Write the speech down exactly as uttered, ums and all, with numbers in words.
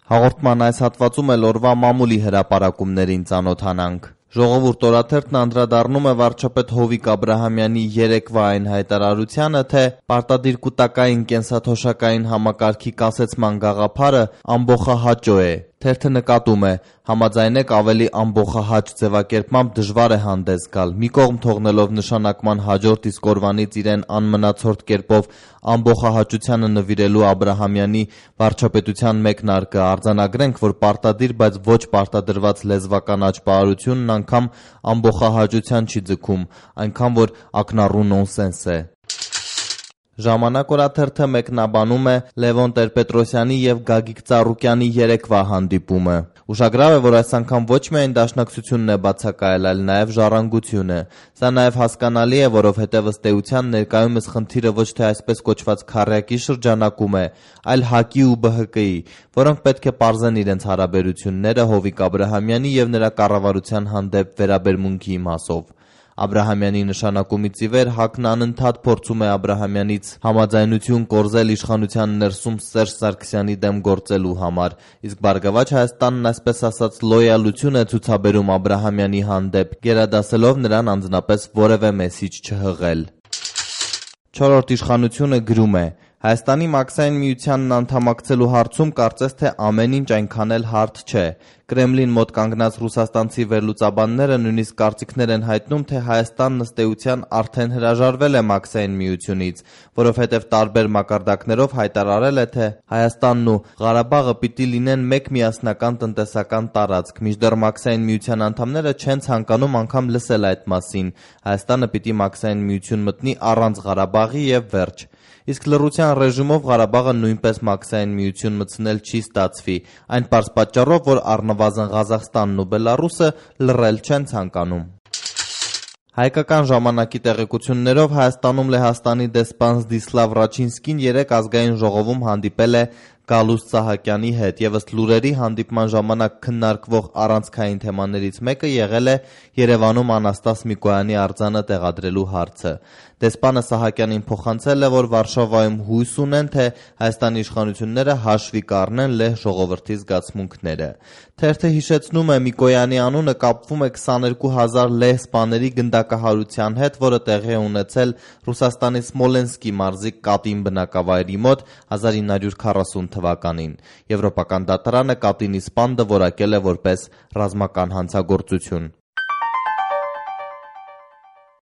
Հաղորդման այս հատվածում էլ օրվա մամուլի հրապարակումներին ծանոթանանք։ Ժողովուրդ օրաթերթն անդրադառնում է վարչապետ Հովիկ Աբրահամյանի երեկվա այն հայտարարությանը, թե պարտադիր կուտակային կենսաթոշակային համակարգի կասեցման գաղափարը ամբոխահաճո է։ Թերթը նկատում է, համաձայն եք ավելի ամբոխահաճ ձևակերպմամբ դժվար է հանդես գալ, մի կողմ թողնելով նշանակման հաջորդ իսկ օրվանից իրեն անմնացորդ կերպով ամբոխահաճությանը նվիրելու Աբրահամյանի վարչապետության մեկնարկը, արձանագրենք, որ պարտադիր, բայց ոչ պարտադրված լեզվական աճպարությունն անգամ ամբոխահաճության չի ձգում, այնքան որ ակնառու նոնսենս է։ Ժամանակ օրաթերթը մեկնաբանում է Լևոն Տեր-Պետրոսյանի և Գագիկ Ծառուկյանի երեկվա հանդիպումը։ Ուշագրավ է, որ այս անգամ ոչ միայն դաշնակցությունն է բացակայել, այլ նաև ժառանգությունը։ Սա նաև հասկանալի է, որովհետև ըստ էության ներկայումս խնդիրը ոչ թե այսպես կոչված քառյակի շրջանակում է, այլ ՀԱԿ-ի ու B H K-ի, որոնք պետք է պարզեն իրենց հարաբերությունները Հովիկ Աբրահամյանի և նրա կառավարության հանդեպ վերաբերմունքի մասով։ Աբրահամյանի նշանակումից ի վեր ՀԱԿ-ն անընդհատ փորձում է Աբրահամյանից համաձայնություն կորզել իշխանության ներսում Սերժ Սարգսյանի դեմ գործելու համար, իսկ Բարգավաճ Հայաստանն այսպես ասած լոյալություն է ցուցաբերում Աբրահամյանի հանդեպ, գերադասելով նրան անձնապես որևէ մեսիջ չհղել։ Չորրորդ իշխանությունը գրում է. Հայաստանի Մաքսային միությանն անդամակցելու հարցում կարծես թե ամեն ինչ այնքան էլ հարթ չէ։ Կրեմլին մոտ կանգնած ռուսաստանցի վերլուծաբանները նույնիսկ կարծիքներ են հայտնում, թե Հայաստանն ըստ էության արդեն հրաժարվել է Մաքսային միությունից, որովհետև տարբեր մակարդակներով հայտարարել է, թե Հայաստանն ու Ղարաբաղը պիտի լինեն մեկ միասնական տնտեսական տարածք, մինչդեռ Մաքսային միության անդամները չեն ցանկանում անգամ լսել այդ մասին։ Հայաստանը պիտի Մաքսային միություն մտնի առանց Ղարաբաղի և վերջ։ Իսկ լռության ռեժիմով Ղարաբաղը նույնպես Մաքսային միություն մտցնել չի ստացվի, այն պարզ պատճառով, որ առնվազն Ղազախստանն ու Բելառուսը լռել չեն ցանկանում։ Հայկական ժամանակի տեղեկություններով Հայաստանում Լեհաստանի դեսպան Զդիսլավ Ռաչինսկին երեկ ազգային ժողովում հանդիպել է Գալուստ Սահակյանի հետ, եւ ըստ լուրերի հանդիպման ժամանակ քննարկվող առանցքային թեմաներից մեկը եղել է Երևանում Անաստաս Միկոյանի արձանը տեղադրելու հարցը։ Դեսպանը Սահակյանին փոխանցել է, որ Վարշավայում հույս ունեն, թե Հայաստանի իշխանությունները հաշվի կառնեն լեհ ժողովրդի զգացմունքները։ Թերթը հիշեցնում է, Միկոյանի անունը կապվում է քսաներկու հազար լեհ սպաների գնդակահարության հետ, որը տեղի է ունեցել Ռուսաստանի Սմոլենսկի մարզի Կատին բնակավայրի մոտ հազար ինը հարյուր քառասուն թվականին։ Եվրոպական դատարանը Կատինի սպան դվորակել է որպես ռազմական հանցագործություն։